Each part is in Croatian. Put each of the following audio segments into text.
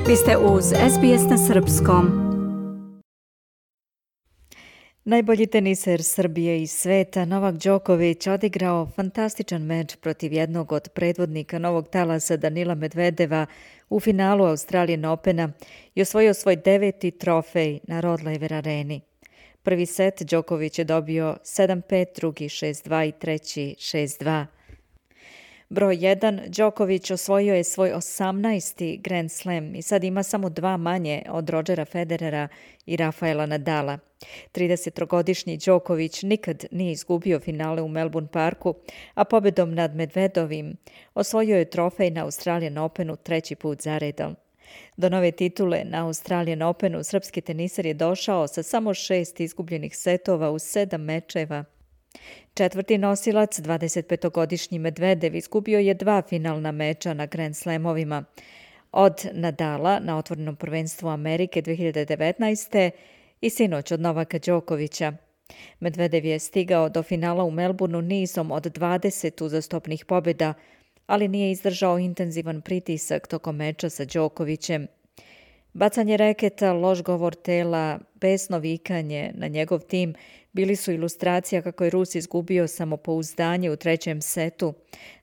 Vi ste uz SBS na srpskom. Najbolji teniser Srbije i sveta Novak Đoković odigrao fantastičan meč protiv jednog od predvodnika novog talasa Danila Medvedeva u finalu Australian Opena i osvojio svoj 9. trofej na Rod Laver Areni. Prvi set Đoković je dobio 7-5, drugi 6-2 i treći 6-2. Broj 1, Đoković osvojio je svoj 18. Grand Slam i sad ima samo 2 manje od Rodgera Federera i Rafaela Nadala. 33-godišnji Đoković nikad nije izgubio finale u Melbourne Parku, a pobedom nad Medvedovim osvojio je trofej na Australian Openu 3. put zaredom. Do nove titule na Australian Openu srpski teniser je došao sa samo 6 izgubljenih setova u 7 mečeva. Četvrti nosilac, 25-godišnji Medvedev, izgubio je 2 finalna meča na Grand Slamovima. Od Nadala na otvorenom prvenstvu Amerike 2019. i sinoć od Novaka Đokovića. Medvedev je stigao do finala u Melbourneu nizom od 20 uzastopnih pobjeda, ali nije izdržao intenzivan pritisak tokom meča sa Đokovićem. Bacanje reketa, loš govor tela, besno vikanje na njegov tim bili su ilustracija kako je Rus izgubio samopouzdanje u trećem setu,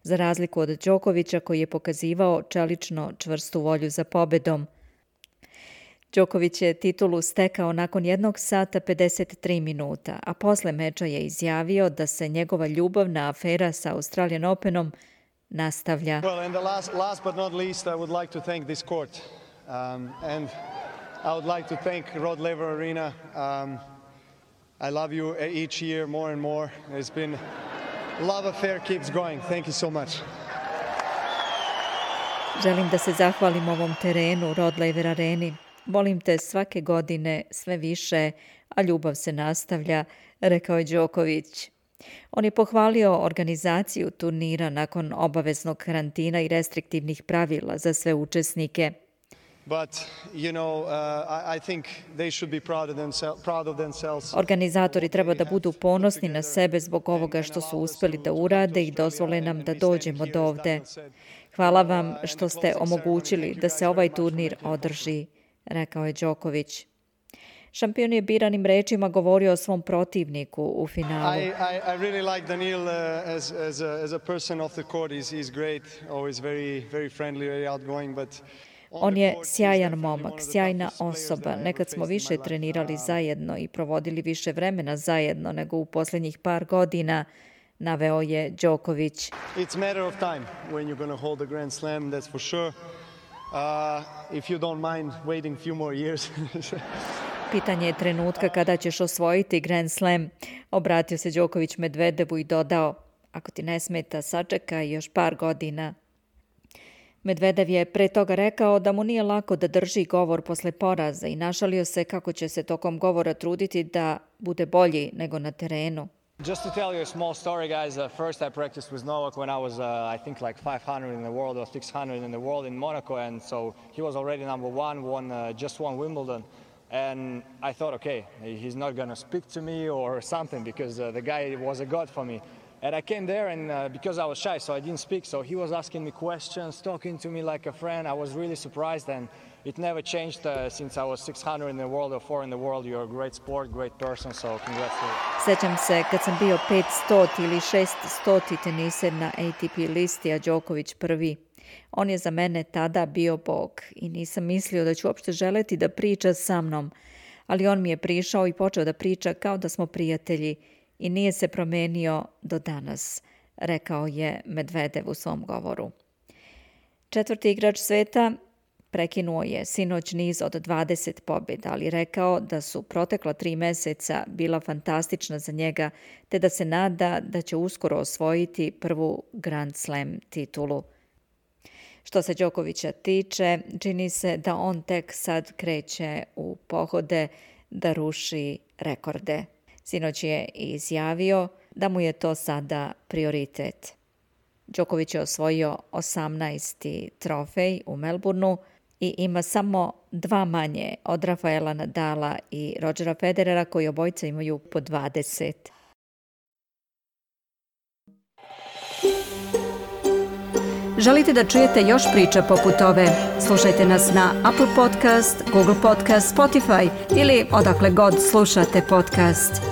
za razliku od Đokovića koji je pokazivao čelično čvrstu volju za pobedom. Đoković je titulu stekao nakon 1 sata 53 minuta, a posle meča je izjavio da se njegova ljubavna afera sa Australian Openom nastavlja. Well, and last but not least, I would like to thank this court. And I would like to thank Rod Laver Arena. I love you each year more and more. It's been love affair keeps going. Thank you so much. Želim da se zahvalim ovom terenu, Rod Laver Areni. Volim te svake godine sve više, a ljubav se nastavlja, rekao je Đoković. On je pohvalio organizaciju turnira nakon obaveznog karantina i restriktivnih pravila za sve učesnike. But, you know, I think they should be proud of themselves. Organizatori treba da budu ponosni na sebe zbog ovoga što su uspeli da urade i dozvole nam da dođemo do ovde. Hvala vam što ste omogućili da se ovaj turnir održi, rekao je Đoković. Šampion je biranim rečima govorio o svom protivniku u finalu. I really like Danil as a person off the court. He's great, always very friendly, very outgoing, but on je sjajan momak, sjajna osoba. Nekad smo više trenirali zajedno i provodili više vremena zajedno nego u posljednjih par godina, naveo je Đoković. It's matter of time when you're going to hold a Grand Slam, that's for sure. If you don't mind waiting few more years. Pitanje je trenutka kada ćeš osvojiti Grand Slam, obratio se Đoković Medvedevu i dodao, ako ti ne smeta, sačekaj još par godina. Medvedev je pre toga rekao da mu nije lako da drži govor posle poraza i našalio se kako će se tokom govora truditi da bude bolji nego na terenu. Just to tell you a small story, guys. First I practiced with Novak when I was, I think, like 500 in the world or 600 in the world in Monaco, and so he was already number one, just won Wimbledon. And I thought, okay, he's not going to speak to me or something because the guy was a god for me. And I came there and because I was shy, so I didn't speak. So he was asking me questions, talking to me like a friend. I was really surprised and it never changed since I was 600 in the world or 4 in the world. You're a great sport, great person, so congrats to you. Sećam se kad sam bio 500 ili 600 teniser na ATP listi, a Đoković prvi. On je za mene tada bio bog i nisam mislio da ću uopšte želeti da priča sa mnom, ali on mi je prišao i počeo da priča kao da smo prijatelji i nije se promenio do danas, rekao je Medvedev u svom govoru. Četvrti igrač sveta prekinuo je sinoć niz od 20 pobjeda, ali rekao da su protekla 3 meseca bila fantastična za njega, te da se nada da će uskoro osvojiti prvu Grand Slam titulu. Što se Đokovića tiče, čini se da on tek sad kreće u pohode da ruši rekorde. Sinoć je izjavio da mu je to sada prioritet. Đoković je osvojio 18. trofej u Melbourneu i ima samo 2 manje od Rafaela Nadala i Rodgera Federera koji obojica imaju po 20. Želite da čujete još priča poput ove? Slušajte nas na Apple Podcast, Google Podcast, Spotify ili odakle god slušate podcast.